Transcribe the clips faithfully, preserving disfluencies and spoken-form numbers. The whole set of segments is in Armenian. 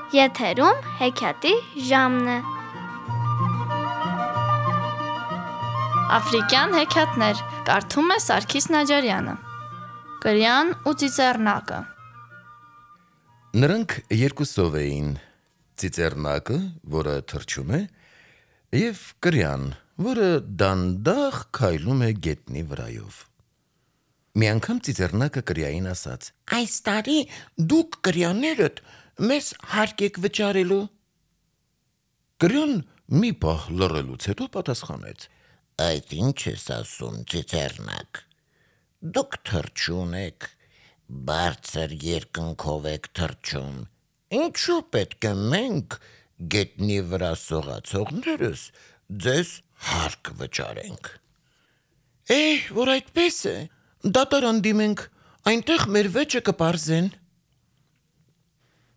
Եթերում հեքիաթի ժամն է։ Աֆրիկյան հեքիաթներ կարդում է Սարգիս Նաջարյանը։ Կրյան ու ծիծեռնակը։ Նրանք երկուսով էին՝ ծիծեռնակը, որը թռչում է, և կրյան, որը դանդաղ քայլում է գետնի վրայով։ Մի անգամ ծիծեռնակը կրյային ասաց. «Այս տարի դուք կրյաներդ մեզ հարկ եք վճարելու»։ Կրյան մի պահ լռելուց հետո պատասխանեց. «Այդ ինչ ես ասում, ծիծեռնակ, դուք թռչուն եք, բարձր երկնքով եք թռչում, ինչու պետք է մենք գետնի վրա սողացողներս ձեզ հարկ վճարենք»։ Է՛, որ այդպես է, դատարան դիմենք, այնտեղ մեր վեճը կպարզեն։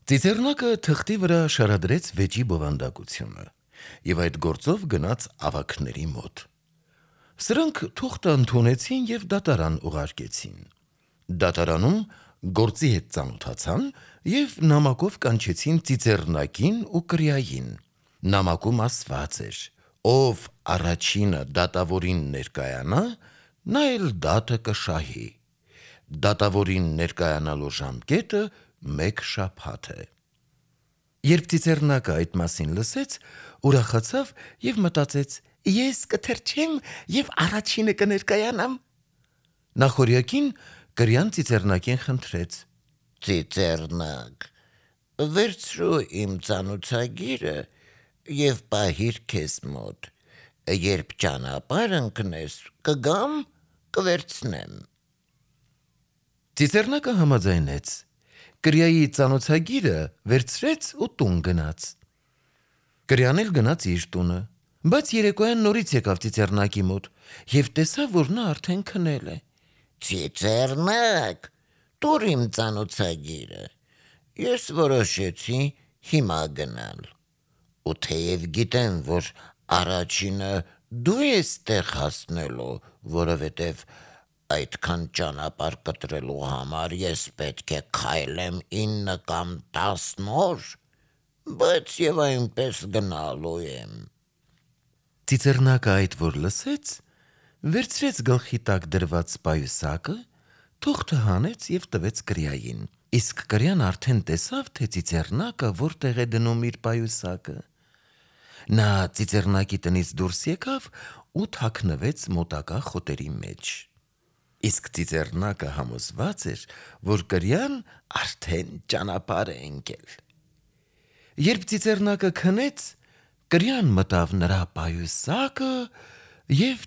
Ծիծեռնակը թղթի վրա շարադրեց վեճի բովանդակությունը և այդ գործով գնաց ավագների մոտ։ Սրանք թուղթը ընդունեցին և դատարան ուղարկեցին։ Դատարանում գործի հետ ծանոթացան և նամակով կանչեցին ծիծեռնակին ու կրյային։ Նամակում ասված էր. «Ով առաջինը դատավորին ներկայանա, նա էլ դատը կշահի։ Դատավորին ներկայանալու ժամկետը մեկ շաբաթ է»։ Երբ ծիծեռնակը այդ մասին լսեց, ուրախացավ և մտածեց. «Ես կթռչեմ և առաջինը կներկայանամ»։ Նախօրյակին կրյան ծիծեռնակին խնդրեց. «Ծիծեռնակ, վերցրու իմ ծանոթագիրը և պահիր քեզ մոտ, երբ ճանապարհ ընկնես, կգամ, կվերցնեմ»։ Ծիծեռնակը համաձայնեց, կրյայի ծանոթագիրը վերցրեց ու տուն գնաց։ Կրյան էլ գնաց իր տունը, բայց երեկոյան նորից եկավ ծիծեռնակի մոտ և տեսավ, որ նա արդեն քնել է։ «Ծիծեռնակ, տուր իմ ծանոթագիրը, ես որոշեցի հիմա գնալ, ու թեև գիտեմ, որ առաջինը դու ես տեղ հասնելու, որովհետև այդքան ճանապարհ կտրելու համար ես պետք է քայլեմ ինը կամ տասն օր, բայց և այնպես գնալու եմ»։ Ծիծեռնակը այդ որ լսեց, վերցրեց գլխի տակ դրված պայուսակը, թուղթը հանեց և տվեց կրյային, իսկ կրյան արդեն տեսավ, թե ծիծեռնակը որտեղ է դնում իր պայուսակը։ Նա ծիծեռնակի տնից դուրս եկավ ու թաքնվեց մոտակա խոտերի մեջ։ Իսկ ծիծեռնակը համոզված էր, որ կրյան արդեն ճանապարհ է ընկել։ Երբ ծիծեռնակը քնեց, կրյան մտավ նրա պայուսակը և